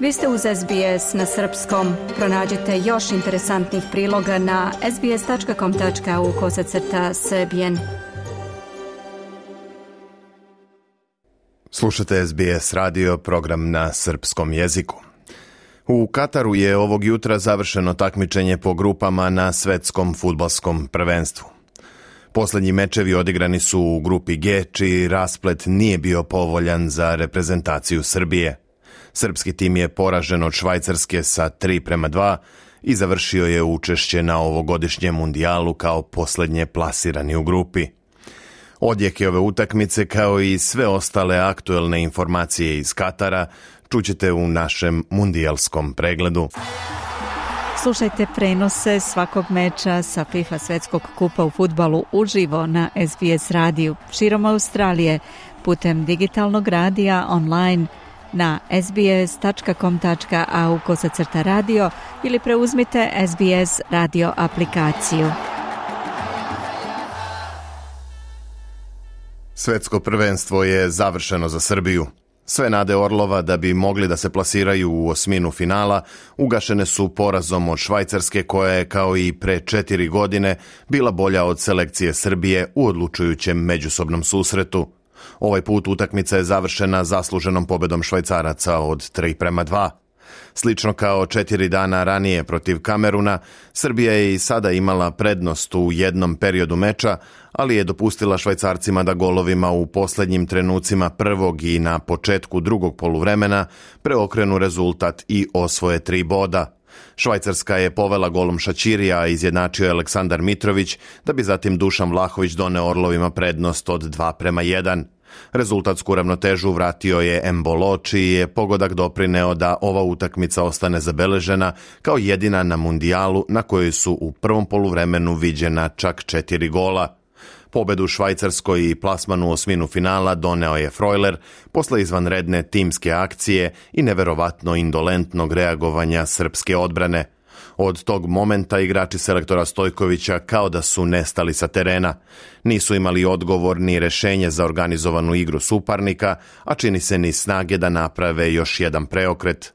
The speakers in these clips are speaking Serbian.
Vi ste uz SBS na srpskom. Pronađite još interesantnih priloga na sbs.com.au/srbijen. Slušate SBS radio, program na srpskom jeziku. U Kataru je ovog jutra završeno takmičenje po grupama na svetskom fudbalskom prvenstvu. Posljednji mečevi odigrani su u grupi G, čiji rasplet nije bio povoljan za reprezentaciju Srbije. Srpski tim je poražen od Švajcarske sa 3:2 i završio je učešće na ovogodišnjem mundijalu kao posljednje plasirani u grupi. Odjeke ove utakmice kao i sve ostale aktuelne informacije iz Katara čućete u našem mundijalskom pregledu. Slušajte prenose svakog meča sa FIFA svetskog kupa u fudbalu uživo na SBS radiju širom Australije putem digitalnog radija online na sbs.com.au/radio ili preuzmite SBS radio aplikaciju. Svetsko prvenstvo je završeno za Srbiju. Sve nade Orlova da bi mogli da se plasiraju u osminu finala ugašene su porazom od Švajcarske, koja je kao i pre 4 godine bila bolja od selekcije Srbije u odlučujućem međusobnom susretu. Ovaj put utakmica je završena zasluženom pobedom Švajcaraca od 3:2. Slično kao 4 dana ranije protiv Kameruna, Srbija je i sada imala prednost u jednom periodu meča, ali je dopustila Švajcarcima da golovima u posljednjim trenucima prvog i na početku drugog poluvremena preokrenu rezultat i osvoje 3 boda. Švajcarska je povela golom Šaćirija, a izjednačio je Aleksandar Mitrović, da bi zatim Dušan Vlahović doneo Orlovima prednost od 2:1. Rezultatsku ravnotežu vratio je Embolo, čiji je pogodak doprineo da ova utakmica ostane zabeležena kao jedina na mundijalu na kojoj su u prvom poluvremenu viđena čak 4 gola. Pobedu Švajcarskoj i plasman u osminu finala doneo je Freuler posle izvanredne timske akcije i neverovatno indolentnog reagovanja srpske odbrane. Od tog momenta igrači selektora Stojkovića kao da su nestali sa terena. Nisu imali odgovor ni rešenje za organizovanu igru suparnika, a čini se ni snage da naprave još jedan preokret.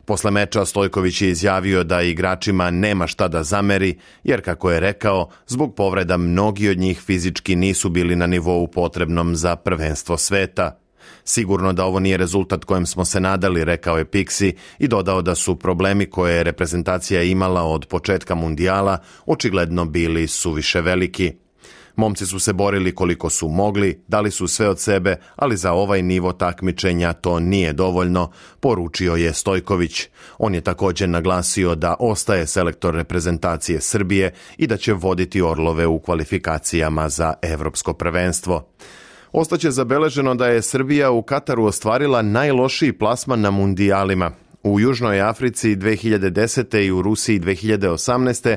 Posle meča Stojković je izjavio da igračima nema šta da zameri, jer kako je rekao, zbog povreda mnogi od njih fizički nisu bili na nivou potrebnom za prvenstvo sveta. Sigurno da ovo nije rezultat kojem smo se nadali, rekao je Pixi i dodao da su problemi koje je reprezentacija imala od početka mundijala očigledno bili suviše veliki. Momci su se borili koliko su mogli, dali su sve od sebe, ali za ovaj nivo takmičenja to nije dovoljno, poručio je Stojković. On je također naglasio da ostaje selektor reprezentacije Srbije i da će voditi Orlove u kvalifikacijama za evropsko prvenstvo. Ostaće zabeleženo da je Srbija u Kataru ostvarila najlošiji plasman na mundijalima. U Južnoj Africi 2010. i u Rusiji 2018.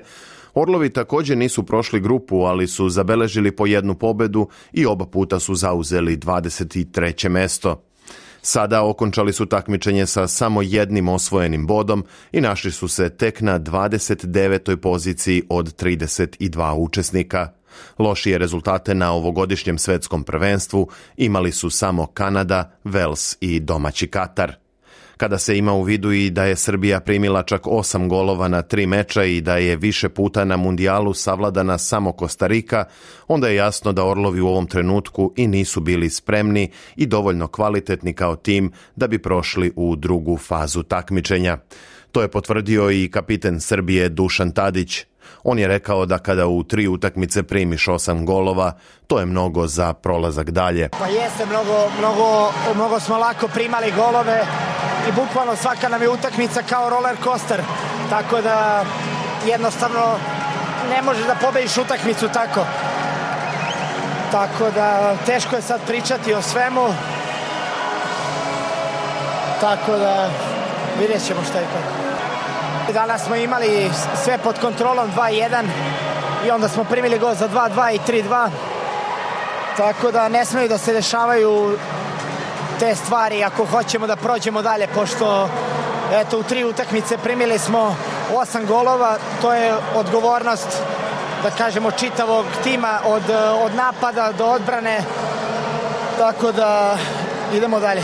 Orlovi također nisu prošli grupu, ali su zabeležili po jednu pobedu i oba puta su zauzeli 23. mesto. Sada okončali su takmičenje sa samo jednim osvojenim bodom i našli su se tek na 29. poziciji od 32 učesnika. Lošije rezultate na ovogodišnjem svetskom prvenstvu imali su samo Kanada, Vels i domaći Katar. Kada se ima u vidu i da je Srbija primila čak 8 golova na 3 meča i da je više puta na mundijalu savladana samo Kostarika, onda je jasno da Orlovi u ovom trenutku i nisu bili spremni i dovoljno kvalitetni kao tim da bi prošli u drugu fazu takmičenja. To je potvrdio i kapiten Srbije Dušan Tadić. On je rekao da kada u 3 utakmice primiš 8 golova, to je mnogo za prolazak dalje. Pa jeste, mnogo smo lako primali golove i bukvalno svaka nam je utakmica kao roller coaster. Tako da jednostavno ne možeš da pobediš utakmicu tako. Tako da teško je sad pričati o svemu. Tako da vidjet ćemo šta je tako. Danas smo imali sve pod kontrolom 2:1 i onda smo primili gol za 2:2 i 3:2. Tako da ne smeju da se dešavaju te stvari ako hoćemo da prođemo dalje, pošto eto u 3 utakmice primili smo 8 golova, to je odgovornost da kažemo čitavog tima od napada do odbrane, tako da idemo dalje.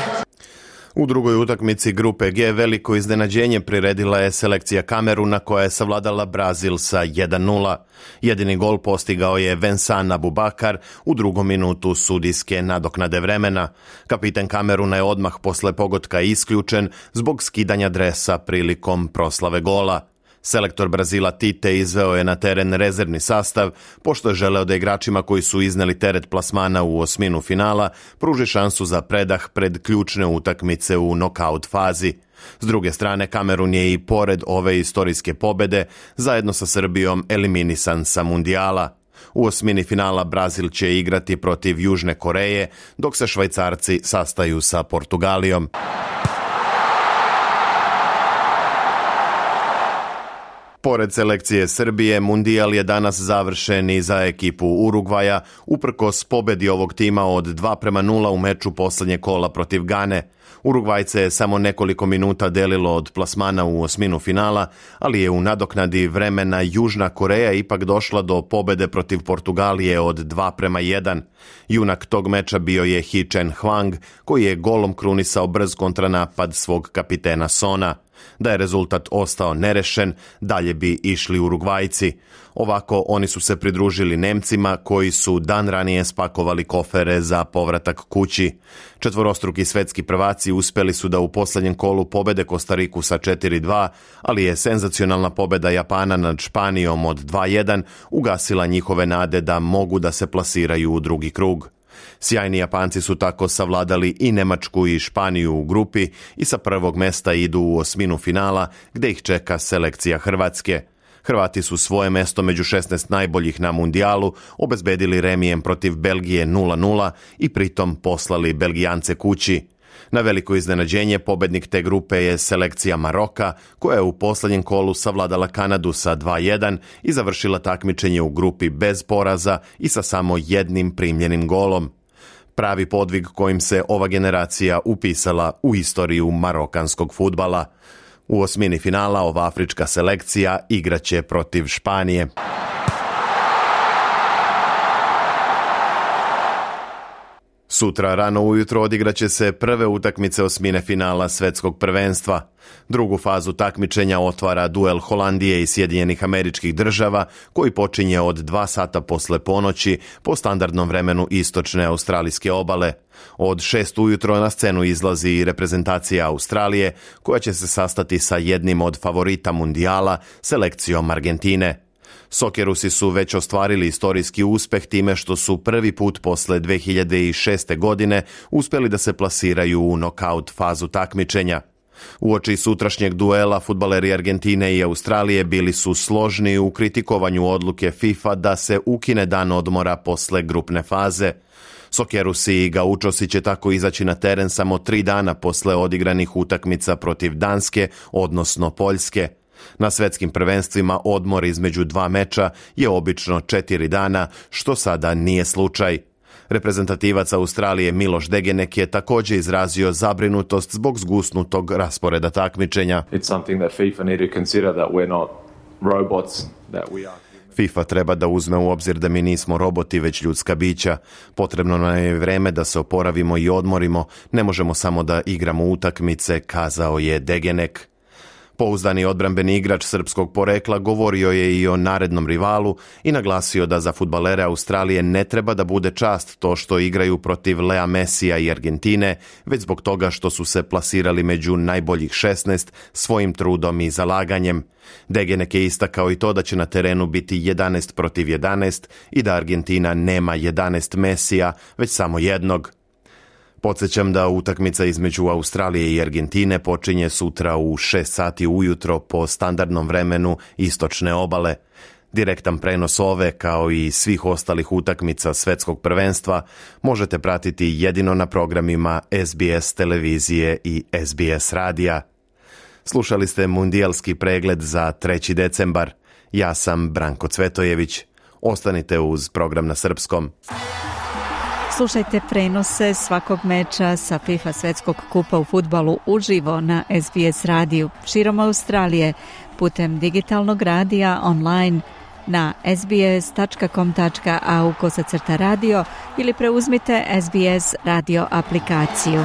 U drugoj utakmici grupe G veliko iznenađenje priredila je selekcija Kameruna koja je savladala Brazil sa 1:0. Jedini gol postigao je Vincent Aboubakar u drugom minutu sudijske nadoknade vremena. Kapiten Kameruna je odmah posle pogotka isključen zbog skidanja dresa prilikom proslave gola. Selektor Brazila Tite izveo je na teren rezervni sastav, pošto je želeo da igračima koji su izneli teret plasmana u osminu finala pruži šansu za predah pred ključne utakmice u nokaut fazi. S druge strane, Kamerun je i pored ove istorijske pobede zajedno sa Srbijom eliminisan sa mundijala. U osmini finala Brazil će igrati protiv Južne Koreje, dok se Švajcarci sastaju sa Portugalijom. Pored selekcije Srbije, mundijal je danas završen i za ekipu Urugvaja, uprkos pobedi ovog tima od 2:0 u meču poslednje kola protiv Gane. Urugvajce je samo nekoliko minuta delilo od plasmana u osminu finala, ali je u nadoknadi vremena Južna Koreja ipak došla do pobede protiv Portugalije od 2:1. Junak tog meča bio je Hee Chan-hwang, koji je golom krunisao brz kontranapad svog kapitena Sona. Da je rezultat ostao nerešen, dalje bi išli Urugvajci. Ovako oni su se pridružili Nemcima koji su dan ranije spakovali kofere za povratak kući. Četvorostruki svetski prvaci uspeli su da u poslednjem kolu pobede Kostariku sa 4:2, ali je senzacionalna pobeda Japana nad Španijom od 2:1 ugasila njihove nade da mogu da se plasiraju u drugi krug. Sjajni Japanci su tako savladali i Nemačku i Španiju u grupi i sa prvog mesta idu u osminu finala gde ih čeka selekcija Hrvatske. Hrvati su svoje mesto među 16 najboljih na mundijalu obezbedili remijem protiv Belgije 0:0 i pritom poslali Belgijance kući. Na veliko iznenađenje pobednik te grupe je selekcija Maroka, koja je u poslednjem kolu savladala Kanadu sa 2:1 i završila takmičenje u grupi bez poraza i sa samo jednim primljenim golom. Pravi podvig kojim se ova generacija upisala u istoriju marokanskog fudbala. U osmini finala ova afrička selekcija igraće protiv Španije. Sutra rano ujutro odigraće se prve utakmice osmine finala svetskog prvenstva. Drugu fazu takmičenja otvara duel Holandije i Sjedinjenih Američkih Država, koji počinje od 2 sata posle ponoći po standardnom vremenu istočne australijske obale. Od 6 ujutro na scenu izlazi i reprezentacija Australije, koja će se sastati sa jednim od favorita mundijala, selekcijom Argentine. Sokerusi su već ostvarili istorijski uspeh time što su prvi put posle 2006. godine uspeli da se plasiraju u nokaut fazu takmičenja. Uoči sutrašnjeg duela fudbaleri Argentine i Australije bili su složni u kritikovanju odluke FIFA da se ukine dan odmora posle grupne faze. Sokerusi i Gaučosi će tako izaći na teren samo 3 dana posle odigranih utakmica protiv Danske, odnosno Poljske. Na svetskim prvenstvima odmor između 2 meča je obično 4 dana, što sada nije slučaj. Reprezentativac Australije Miloš Degenek je također izrazio zabrinutost zbog zgusnutog rasporeda takmičenja. FIFA treba da uzme u obzir da mi nismo roboti, već ljudska bića. Potrebno nam je vreme da se oporavimo i odmorimo, ne možemo samo da igramo utakmice, kazao je Degenek. Pouzdani odbrambeni igrač srpskog porekla govorio je i o narednom rivalu i naglasio da za fudbalere Australije ne treba da bude čast to što igraju protiv Lea Messija i Argentine, već zbog toga što su se plasirali među najboljih 16 svojim trudom i zalaganjem. Degenek je istakao i to da će na terenu biti 11 protiv 11 i da Argentina nema 11 Messija, već samo jednog. Podsjećam da utakmica između Australije i Argentine počinje sutra u 6 sati ujutro po standardnom vremenu istočne obale. Direktan prenos ove, kao i svih ostalih utakmica svetskog prvenstva, možete pratiti jedino na programima SBS televizije i SBS radija. Slušali ste mundijalski pregled za 3. decembar. Ja sam Branko Cvetojević. Ostanite uz program na srpskom. Slušajte prenose svakog meča sa FIFA svetskog kupa u fudbalu uživo na SBS radiju širom Australije putem digitalnog radija online na sbs.com.au/radio ili preuzmite SBS radio aplikaciju.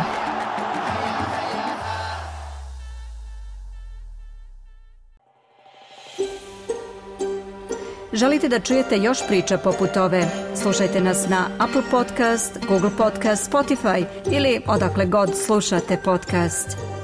Želite da čujete još priča poput ove? Slušajte nas na Apple Podcast, Google Podcast, Spotify ili odakle god slušate podcast.